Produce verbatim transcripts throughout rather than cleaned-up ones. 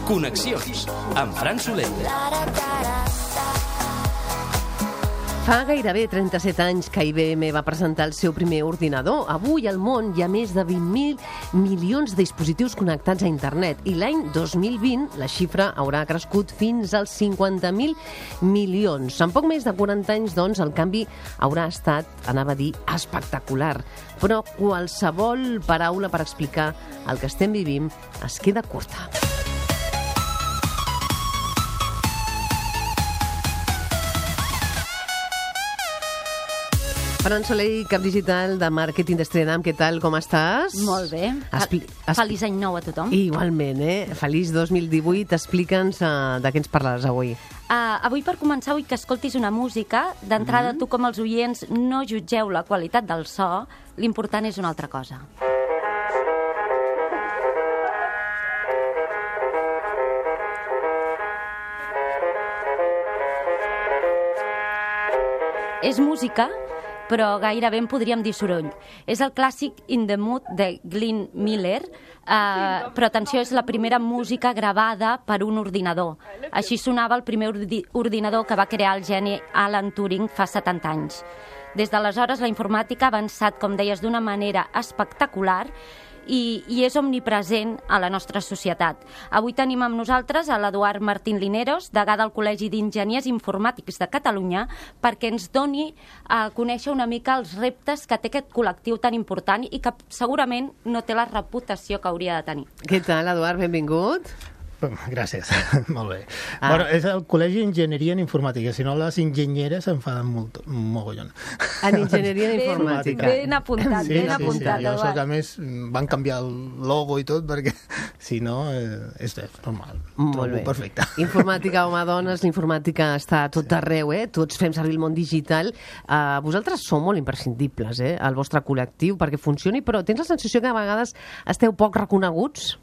Connexions, amb Fran Soler. Fa gairebé trenta-set anys que I B M va presentar el seu primer ordinador. Avui al món hi ha més de vint mil milions de dispositius connectats a internet i l'any dos mil vint la xifra haurà crescut fins als cinquanta mil milions. En poc més de quaranta anys, doncs, el canvi haurà estat, anava a dir, espectacular. Però qualsevol paraula per explicar el que estem vivint es queda curta. Fran Soler, cap digital de màrqueting d'Estrenam, què tal, com estàs? Molt bé. Expli Feliç any nou a tothom. Igualment, eh? Feliç dos mil divuit. Explica'ns uh, de què ens parlaràs avui. Uh, avui, per començar, vull que escoltis una música. D'entrada, mm -hmm. tu com els oients no jutgeu la qualitat del so, l'important és una altra cosa. És música, però gairebé en podríem dir soroll. És el clàssic In the Mood de Glenn Miller, eh, però atenció, és la primera música gravada per un ordinador. Així sonava el primer ordi ordinador que va crear el geni Alan Turing fa setanta anys. Des d'aleshores la informàtica ha avançat, com deies, d'una manera espectacular i, i és omnipresent a la nostra societat. Avui tenim amb nosaltres a l'Eduard Martín Lineros, degà del Col·legi d'Enginyers Informàtics de Catalunya, perquè ens doni a conèixer una mica els reptes que té aquest col·lectiu tan important i que segurament no té la reputació que hauria de tenir. Què tal, Eduard? Benvingut. Gràcies, molt bé. Ah. Bueno, és el Col·legi d'Enginyeria en Informàtica, si no les enginyeres s'enfaden molt, mogollon. En Enginyeria en Informàtica. Ben apuntat, sí, ben sí, apuntat. Sí, sí. Jo sé que a més van canviar el logo i tot, perquè si no eh, és normal. Molt Trobo bé. Perfecte. Informàtica, home, dones, l'informàtica està a tot arreu, eh? Tots fem servir el món digital. Uh, vosaltres sou molt imprescindibles, eh? El vostre col·lectiu, perquè funcioni, però tens la sensació que a vegades esteu poc reconeguts?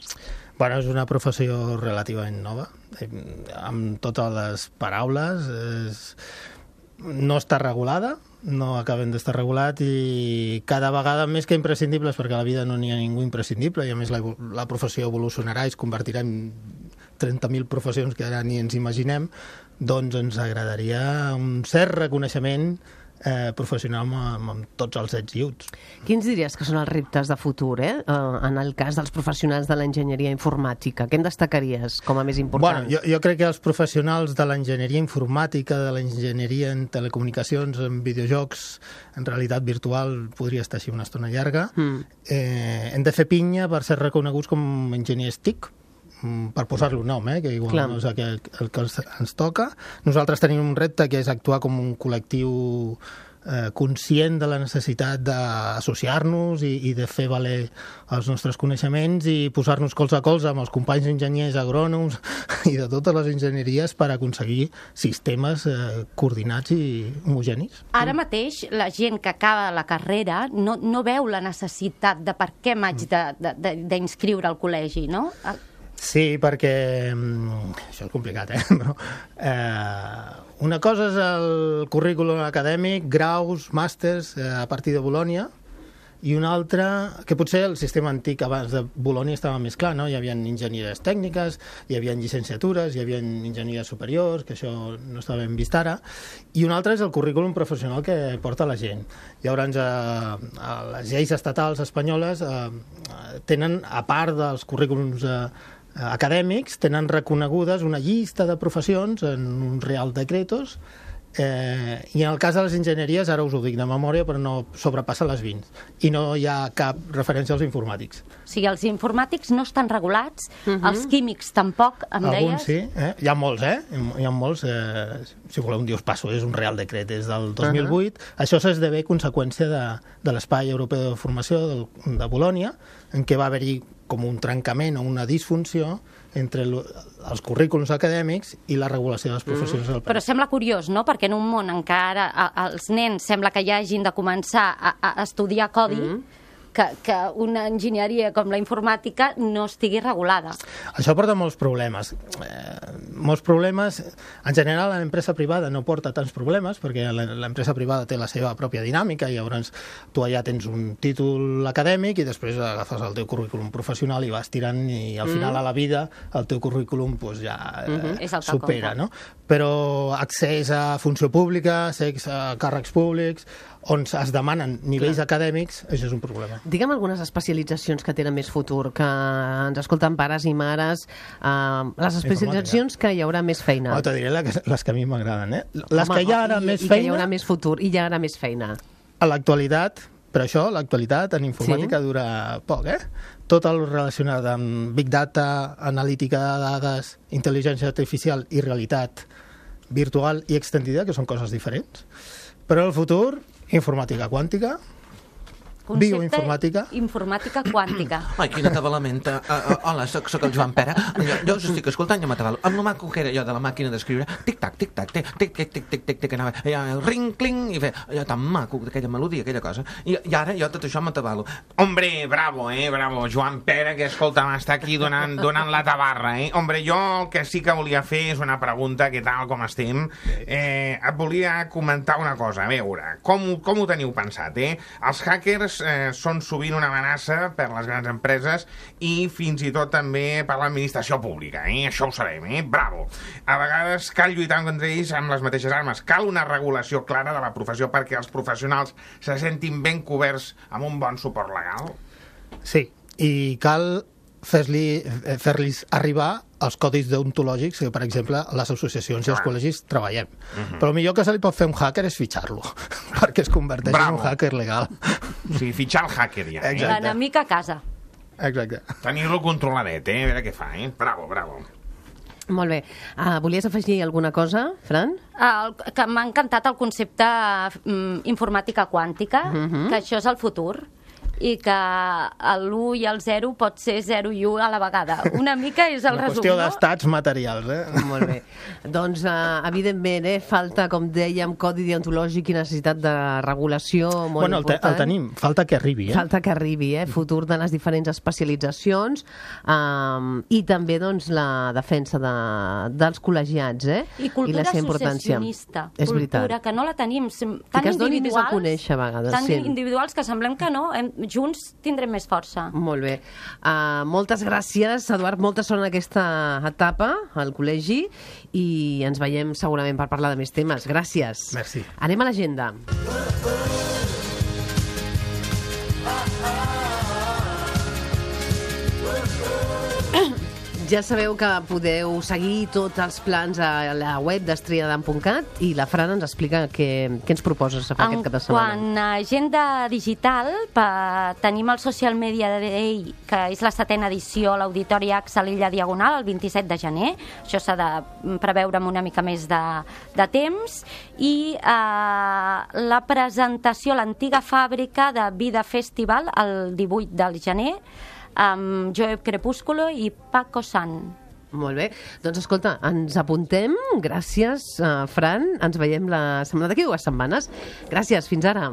Bueno, és una professió relativament nova, eh, amb totes les paraules. És... No està regulada, no acaben d'estar regulat i cada vegada més que imprescindibles, perquè a la vida no n'hi ha ningú imprescindible i a més la, la professió evolucionarà i es convertirà en trenta mil professions que ara ni ens imaginem, doncs ens agradaria un cert reconeixement Eh, professional amb, amb tots els ets i uts. Quins diries que són els reptes de futur, eh? Uh, en el cas dels professionals de l'enginyeria informàtica? Què en destacaries com a més important? Bueno, jo, jo crec que els professionals de l'enginyeria informàtica, de l'enginyeria en telecomunicacions, en videojocs, en realitat virtual, podria estar així una estona llarga, mm. eh, hem de fer pinya per ser reconeguts com enginyers T I C, per posar-li un nom, eh, que igual Clar. no és el que, el que ens toca. Nosaltres tenim un repte que és actuar com un col·lectiu eh, conscient de la necessitat d'associar-nos i, i de fer valer els nostres coneixements i posar-nos colze a colze amb els companys enginyers, agrònoms i de totes les enginyeries per aconseguir sistemes eh, coordinats i homogenis. Ara mateix la gent que acaba la carrera no, no veu la necessitat de per què m'haig d'inscriure al col·legi, no? Sí, perquè... Això és complicat, eh? Però, eh una cosa és el currículum acadèmic, graus, màsters, eh, a partir de Bolònia, i una altra, que potser el sistema antic abans de Bolònia estava més clar, no? Hi havia enginyeries tècniques, hi havia llicenciatures, hi havia enginyeries superiors, que això no està ben vist ara, i una altra és el currículum professional que porta la gent. Llavors, eh, les lleis estatals espanyoles eh, tenen, a part dels currículums eh, acadèmics, tenen reconegudes una llista de professions en un real decretos, eh, i en el cas de les enginyeries, ara us ho dic de memòria, però no sobrepassa les vint, i no hi ha cap referència als informàtics. O sigui, els informàtics no estan regulats, uh -huh. els químics tampoc, em deies? Alguns sí, eh? Hi ha molts, eh? Hi ha molts, eh? Si voleu un dia us passo, és un real decret, és del dos mil vuit. Uh -huh. Això s'esdevé conseqüència de, de l'Espai Europeu de Formació de, de Bolònia, en què va haver-hi com un trencament o una disfunció entre els currículums acadèmics i la regulació de les professions del país. Però sembla curiós, no?, perquè en un món en què ara els nens sembla que ja hagin de començar a, a estudiar codi, mm. que, que una enginyeria com la informàtica no estigui regulada. Això porta molts problemes. Eh, molts problemes. En general, l'empresa privada no porta tants problemes, perquè l'empresa privada té la seva pròpia dinàmica, i llavors tu allà tens un títol acadèmic i després agafes el teu currículum professional i vas tirant, i al final a la vida el teu currículum pues, ja Mm-hmm. És el que supera, compta. no? Però accés a funció pública, accés a càrrecs públics, on es demanen nivells acadèmics, això és un problema. Digue'm algunes especialitzacions que tenen més futur, que ens escolten pares i mares, eh, les especialitzacions que hi haurà més feina. Oh, te diré les que, les que a mi m'agraden, eh? Les Home, que hi ha ara i, més i que hi feina, haurà més futur, i hi haurà més feina. a l'actualitat, però això, l'actualitat en informàtica Sí. dura poc, eh? Tot el relacionat amb Big Data, analítica de dades, intel·ligència artificial i realitat virtual i extendida, que són coses diferents. Però el futur, informàtica quàntica, Concepte bioinformàtica. Informàtica quàntica. Ai, quina atabalamenta. Uh, uh, hola, soc, soc el Joan Pere. Jo, jo us estic escoltant i m'atabalo. Amb el maco que era jo de la màquina d'escriure, tic-tac, tic-tac, tic-tac, tic-tic, tic-tic, tic, anava allà, ring, cling, i feia allò tan maco, aquella melodia, aquella cosa. I, i ara jo tot això m'atabalo. Hombre, bravo, eh, bravo, Joan Pere, que escolta, m'està aquí donant, donant la tabarra, eh? Hombre, jo el que sí que volia fer és una pregunta, què tal, com estem? Eh, et volia comentar una cosa, a veure, com, com ho teniu pensat, eh? Els hackers eh, són sovint una amenaça per les grans empreses i fins i tot també per l'administració pública, eh? Això ho sabem, eh? Bravo. A vegades cal lluitar contra ells amb les mateixes armes. Cal una regulació clara de la professió perquè els professionals se sentin ben coberts amb un bon suport legal. Sí, i cal fer-li fer-los arribar els codis deontològics que, per exemple, les associacions i els col·legis treballem. Uh-huh. Però el millor que se li pot fer a un hacker és fitxar-lo, perquè es converteix Bravo. en un hacker legal. O sigui, fitxar el hacker ja, eh? Exacte. L'enemic a casa. Exacte. Tenir-lo controladet, eh? A veure què fa, eh? Bravo, bravo. Molt bé. Uh, volies afegir alguna cosa, Fran? El, que m'ha encantat el concepte mm, informàtica quàntica, Mhm. que això és el futur, i que l'u i el zero pot ser zero i u a la vegada. Una mica és el Una resum, qüestió no? d'estats materials, eh? Molt bé. Doncs, uh, evidentment, eh, falta, com dèiem, codi deontològic i necessitat de regulació molt Bueno, el, te, important. el tenim, falta que arribi, eh? Falta que arribi, eh? Futur de les diferents especialitzacions um, i també, doncs, la defensa de, dels col·legiats, eh? I cultura la seva importància. associacionista. És cultura, veritat. que no la tenim. Tan que es doni més a individuals, conèixer, a vegades, Tan sí. individuals que semblem que no. Hem, junts tindrem més força. Molt bé. Uh, moltes gràcies, Eduard. Molta sort en aquesta etapa al col·legi i ens veiem segurament per parlar de més temes. Gràcies. Merci. Anem a l'agenda. Ja sabeu que podeu seguir tots els plans a la web d'estriadam punt cat i la Fran ens explica què, què ens proposes a fer aquest cap de setmana. Quant a agenda digital, pa, tenim el Social Media Day, que és la setena edició a l'Auditori AXA a l'Illa Diagonal, el vint-i-set de gener. Això s'ha de preveure amb una mica més de, de temps. I eh, la presentació a l'antiga fàbrica de Vida Festival, el divuit del gener, amb Joe Crepúsculo i Paco San. Molt bé. Doncs escolta, ens apuntem. Gràcies, uh, Fran. Ens veiem la setmana d'aquí dues setmanes. Gràcies. Fins ara.